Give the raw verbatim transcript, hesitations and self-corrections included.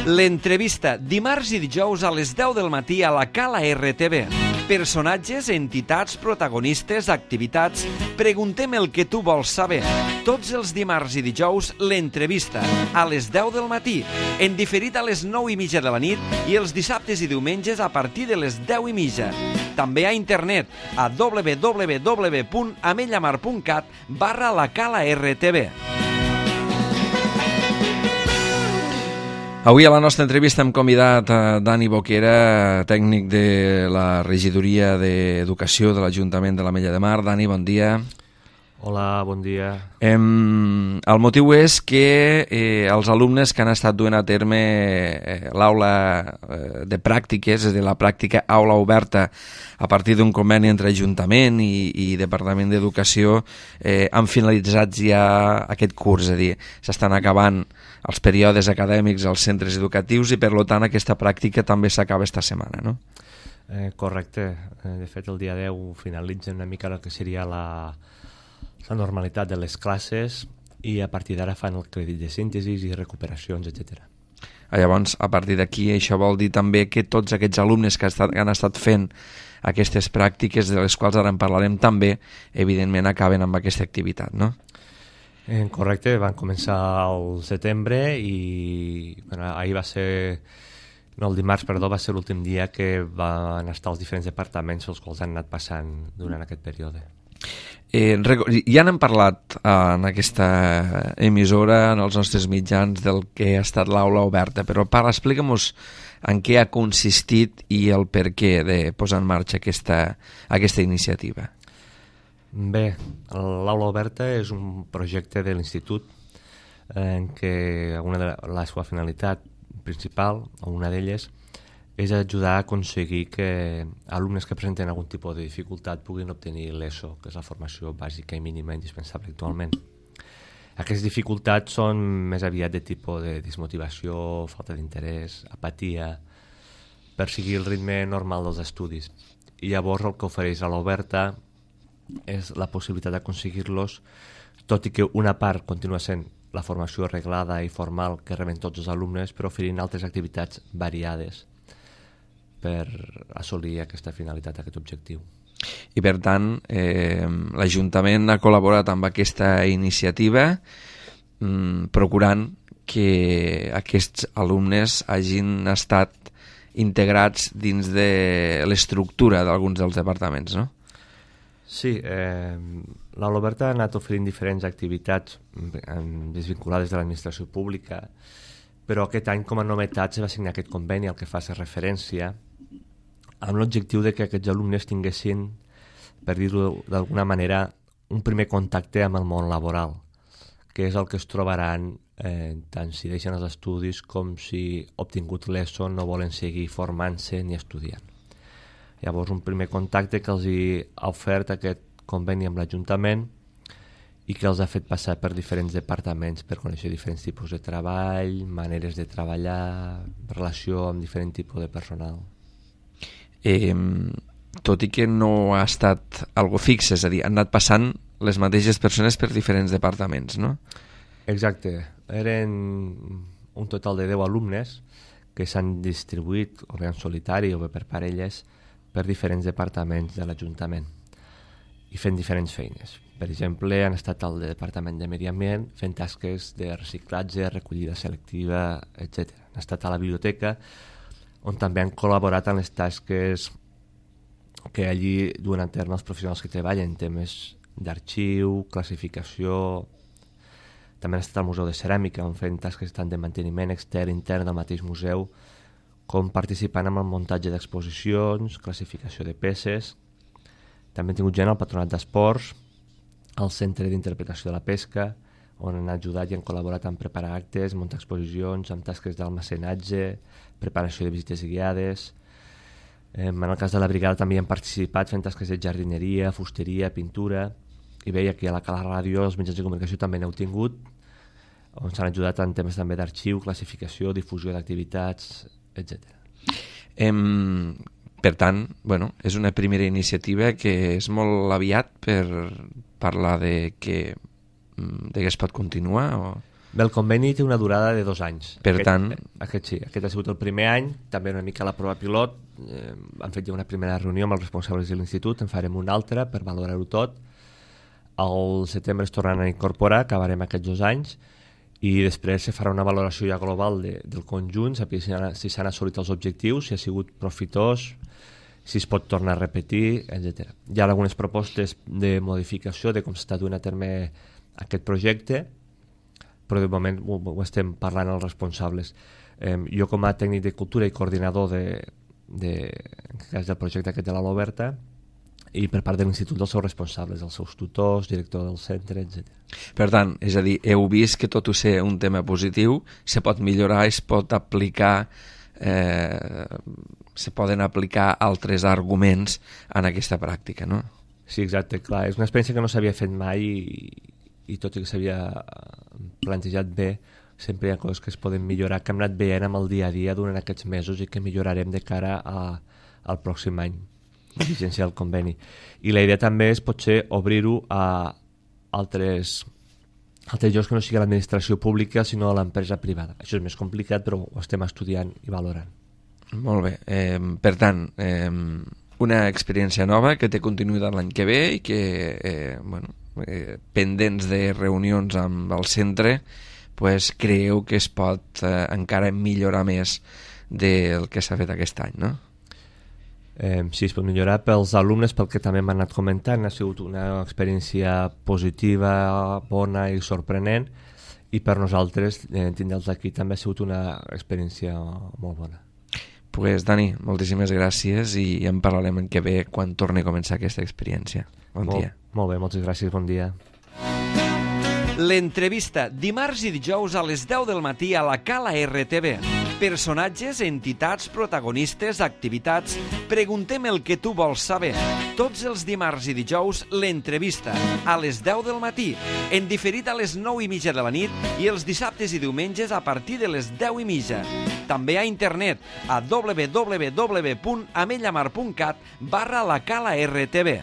L'entrevista, dimarts i dijous a les deu del matí a la Cala R T V. Personatges, entitats, protagonistes, activitats... Preguntem el que tu vols saber. Tots els dimarts i dijous, l'entrevista, a les deu del matí, en diferit a les nou i mitja de la nit i els dissabtes i diumenges a partir de les deu i mitja. També a internet, a w w w punt amellamar punt cat barra la Cala R T V. Avui a la nostra entrevista hem convidat a Dani Boquera, tècnic de la Regidoria d'Educació de l'Ajuntament de l'Ametlla de Mar. Dani, bon dia. Hola, bon dia. Em, el motiu és que eh, els alumnes que han estat duent a terme eh, l'aula eh, de pràctiques, és a dir, la pràctica aula oberta a partir d'un conveni entre Ajuntament i, i Departament d'Educació, eh, han finalitzat ja aquest curs, és a dir, s'estan acabant els períodes acadèmics als centres educatius i, per tant, aquesta pràctica també s'acaba esta setmana, no? Eh, correcte. Eh, de fet, el dia deu finalitza una mica el que seria la, la normalitat de les classes i a partir d'ara fan el crèdit de síntesi i recuperacions, etcètera. Llavors, a partir d'aquí, això vol dir també que tots aquests alumnes que, estat, que han estat fent aquestes pràctiques, de les quals ara en parlarem també, evidentment acaben amb aquesta activitat, no? Eh, correcte, van començar al setembre i bueno, ahir va ser, no, el dimarts, perdó, va ser l'últim dia que van estar els diferents departaments els quals han anat passant durant aquest període. Eh, ja n'hem parlat eh, en aquesta emissora, en els nostres mitjans, del que ha estat l'aula oberta, però para, explica'm-nos en què ha consistit i el per què de posar en marxa aquesta, aquesta iniciativa. Bé, l'aula oberta és un projecte de l'institut en què una de la seva finalitat principal, o una d'elles, és ajudar a aconseguir que alumnes que presenten algun tipus de dificultat puguin obtenir l'ESO, que és la formació bàsica i mínima indispensable actualment. Aquestes dificultats són més aviat de tipus de desmotivació, falta d'interès, apatia, per seguir el ritme normal dels estudis. I llavors el que ofereix a l'oberta és la possibilitat d'aconseguir-los, tot i que una part continua sent la formació arreglada i formal que reben tots els alumnes, però oferint altres activitats variades per assolir aquesta finalitat, aquest objectiu. I per tant, eh, l'Ajuntament ha col·laborat amb aquesta iniciativa mm, procurant que aquests alumnes hagin estat integrats dins de l'estructura d'alguns dels departaments, no? Sí, eh, l'aula oberta ha anat oferint diferents activitats desvinculades de l'administració pública, però aquest any com a novetat se va signar aquest conveni al que fa referència amb l'objectiu de que aquests alumnes tinguessin, per dir-ho d'alguna manera, un primer contacte amb el món laboral, que és el que es trobaran eh, tant si deixen els estudis com si obtingut l'ESO no volen seguir formant-se ni estudiant. Llavors, un primer contacte que els hi ha ofert aquest conveni amb l'Ajuntament i que els ha fet passar per diferents departaments per conèixer diferents tipus de treball, maneres de treballar, relació amb diferent tipus de personal. Eh, tot i que no ha estat algo fix, és a dir, han anat passant les mateixes persones per diferents departaments, no? Exacte. Eren un total de deu alumnes que s'han distribuït, o bé en solitari o bé per parelles, per diferents departaments de l'Ajuntament i fent diferents feines. Per exemple, han estat al Departament de Medi Ambient fent tasques de reciclatge, recollida selectiva, etcètera. Han estat a la biblioteca, on també han col·laborat en les tasques que allí duen a terme els professionals que treballen, temes d'arxiu, classificació. També han estat al Museu de Ceràmica, on fent tasques tant de manteniment extern, intern del mateix museu, com participant en el muntatge d'exposicions, classificació de peces. També han tingut gent al Patronat d'Esports, al Centre d'Interpretació de la Pesca, on han ajudat i han col·laborat en preparar actes, muntar exposicions, amb tasques d'almacenatge, preparació de visites guiades. En el cas de la brigada també han participat fent tasques de jardineria, fusteria, pintura, i veia que a la Cala Ràdio els mitjans de comunicació també n'heu tingut, on s'han ajudat en temes també d'arxiu, classificació, difusió d'activitats, etcètera. Em, per tant, bueno, és una primera iniciativa que és molt aviat per parlar de que, de que es pot continuar? O... Bé, el conveni té una durada de dos anys. Per aquest, tant... Aquest sí, aquest ha sigut el primer any, també una mica la prova pilot. Eh, han fet ja una primera reunió amb els responsables de l'institut, en farem una altra per valorar-ho tot. Al setembre es tornaran a incorporar, acabarem aquests dos anys, i després se farà una valoració ja global de, del conjunt, saber si, si s'han assolit els objectius, si ha sigut profitós, si es pot tornar a repetir, etcètera. Hi ha algunes propostes de modificació de com s'està duent a terme aquest projecte, però de moment ho, ho estem parlant els responsables. Eh, jo com a tècnic de cultura i coordinador de, de, en aquest cas del projecte aquest de l'Ala Oberta, i per part de l'institut dels seus responsables, els seus tutors, director del centre, etcètera. Per tant, és a dir, heu vist que tot ho ser un tema positiu, se pot millorar, es pot aplicar, eh, se poden aplicar altres arguments en aquesta pràctica, no? Sí, exacte, clar. És una experiència que no s'havia fet mai i, i tot i que s'havia plantejat bé, sempre hi ha coses que es poden millorar, que hem anat veient amb el dia a dia durant aquests mesos i que millorarem de cara a, al pròxim any de vigència del conveni. I la idea també és potser obrir-ho a altres, altres llocs que no sigui l'administració pública sinó a l'empresa privada. Això és més complicat, però ho estem estudiant i valorant. Molt bé. Eh, per tant, eh, una experiència nova que té continuïtat l'any que ve i que, eh, bueno, eh, pendents de reunions amb el centre, pues, creieu que es pot eh, encara millorar més del que s'ha fet aquest any, no? Eh, sí, es pot millorar pels alumnes, pel que també m'han anat comentant. Ha sigut una experiència positiva, bona i sorprenent, i per nosaltres, eh, tindre'ls aquí, també ha sigut una experiència molt bona. Pues, Dani, moltíssimes gràcies i en parlarem en què ve quan torni a començar aquesta experiència. Bon molt, dia. Molt bé, moltes gràcies, bon dia. L'entrevista, dimarts i dijous a les deu del matí a la Cala R T V. Personatges, entitats, protagonistes, activitats... Preguntem el que tu vols saber. Tots els dimarts i dijous, l'entrevista, a les deu del matí, en diferit a les nou i mitja de la nit i els dissabtes i diumenges a partir de les deu i mitja. També a internet a w w w punt amellamar punt cat barra la Cala R T V.